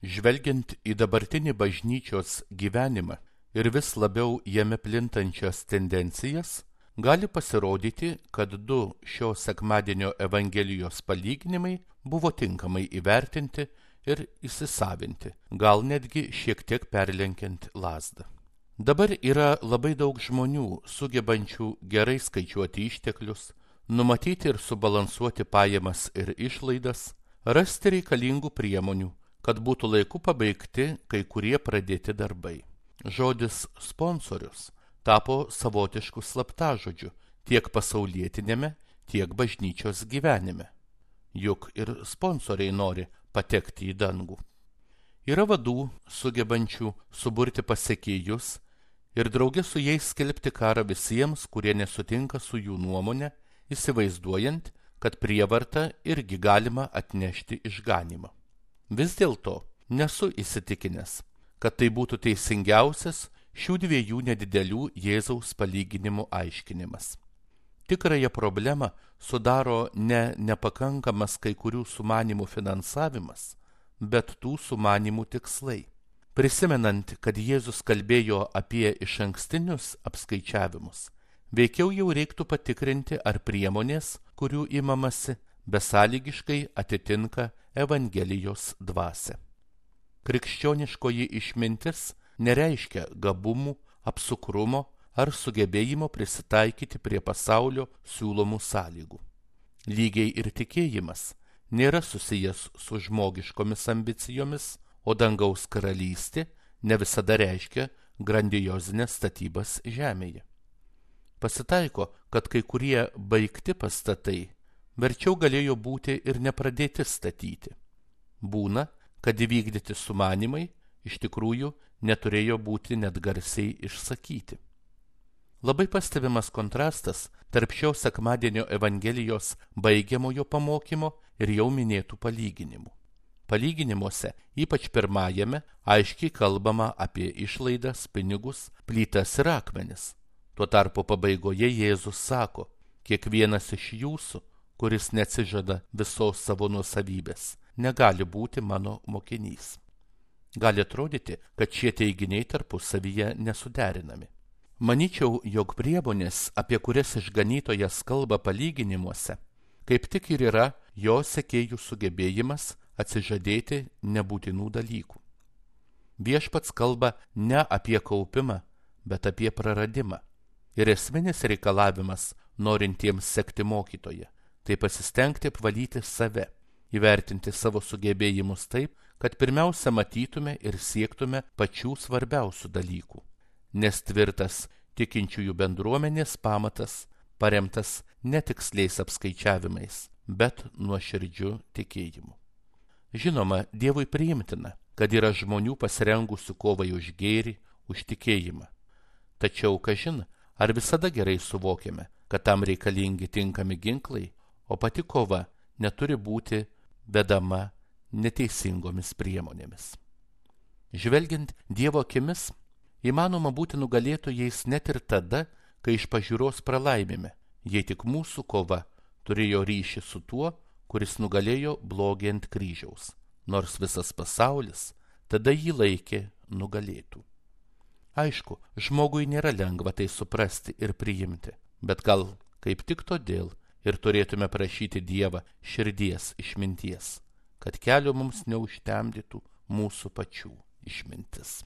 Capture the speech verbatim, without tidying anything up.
Žvelgiant į dabartinį bažnyčios gyvenimą ir vis labiau jame plintančias tendencijas, gali pasirodyti, kad du šio sekmadienio Evangelijos palyginimai buvo tinkamai įvertinti ir įsisavinti, gal netgi šiek tiek perlenkiant lazdą. Dabar yra labai daug žmonių, sugebančių gerai skaičiuoti išteklius, numatyti ir subalansuoti pajamas ir išlaidas, rasti reikalingų priemonių, kad būtų laiku pabaigti kai kurie pradėti darbai. Žodis sponsorius tapo savotišku slaptažodžiu tiek pasaulietinėme, tiek bažnyčios gyvenime. Juk ir sponsoriai nori patekti į dangų. Yra vadų, sugebančių suburti pasekėjus ir drauge su jais skelbti karą visiems, kurie nesutinka su jų nuomonė, įsivaizduojant, kad prievarta irgi galima atnešti išganymą. Vis dėlto nesu įsitikinęs, kad tai būtų teisingiausias šių dviejų nedidelių Jėzaus palyginimų aiškinimas. Tikrąją problemą sudaro ne nepakankamas kai kurių sumanimų finansavimas, bet tų sumanimų tikslai. Prisimenant, kad Jėzus kalbėjo apie išankstinius apskaičiavimus, veikiau jau reiktų patikrinti, ar priemonės, kurių imamasi, besąlygiškai atitinka Evangelijos dvasią. Krikščioniškoji išmintis nereiškia gabumų, apsukrumo ar sugebėjimo prisitaikyti prie pasaulio siūlomų sąlygų. Lygiai ir tikėjimas nėra susijęs su žmogiškomis ambicijomis, o dangaus karalystė ne visada reiškia grandiozinės statybas žemėje. Pasitaiko, kad kai kurie baigti pastatai verčiau galėjo būti ir nepradėti statyti. Būna, kad įvykdyti sumanimai iš tikrųjų neturėjo būti net garsiai išsakyti. Labai pastebimas kontrastas tarp šio sekmadienio Evangelijos baigiamojo pamokymo ir jau minėtų palyginimų. Palyginimuose, ypač pirmajame, aiškiai kalbama apie išlaidas, pinigus, plytas ir akmenis. Tuo tarpu pabaigoje Jėzus sako, kiekvienas iš jūsų, kuris neatsižada visos savo nuosavybės, negali būti mano mokinys. Gali atrodyti, kad šie teiginiai tarpusavyje nesuderinami. Manyčiau, jog priemonės, apie kurias išganytojas kalba palyginimuose, kaip tik ir yra jo sekėjų sugebėjimas atsižadėti nebūtinų dalykų. Viešpats kalba ne apie kaupimą, bet apie praradimą. Ir esminis reikalavimas norintiems sekti mokytoją, tai pasistengti apvalyti save, įvertinti savo sugebėjimus taip, kad pirmiausia matytume ir siektume pačių svarbiausių dalykų, nes tvirtas tikinčiųjų bendruomenės pamatas paremtas netiksliais apskaičiavimais, bet nuoširdžiu tikėjimu. Žinoma, Dievui priimtina, kad yra žmonių pasirengusių kovai už gėrį, už tikėjimą. Tačiau, kažin, ar visada gerai suvokiame, kad tam reikalingi tinkami ginklai, o pati kova neturi būti vedama neteisingomis priemonėmis. Žvelgiant Dievo akimis, įmanoma būti nugalėtojais net ir tada, kai iš pažiūros pralaimime, jei tik mūsų kova turėjo ryšį su tuo, kuris nugalėjo blogį ant kryžiaus, nors visas pasaulis tada jį laikė nugalėtų. Aišku, žmogui nėra lengva tai suprasti ir priimti, bet gal kaip tik todėl ir turėtume prašyti Dievą širdies išminties, kad kelio mums neužtemdytų mūsų pačių išmintis.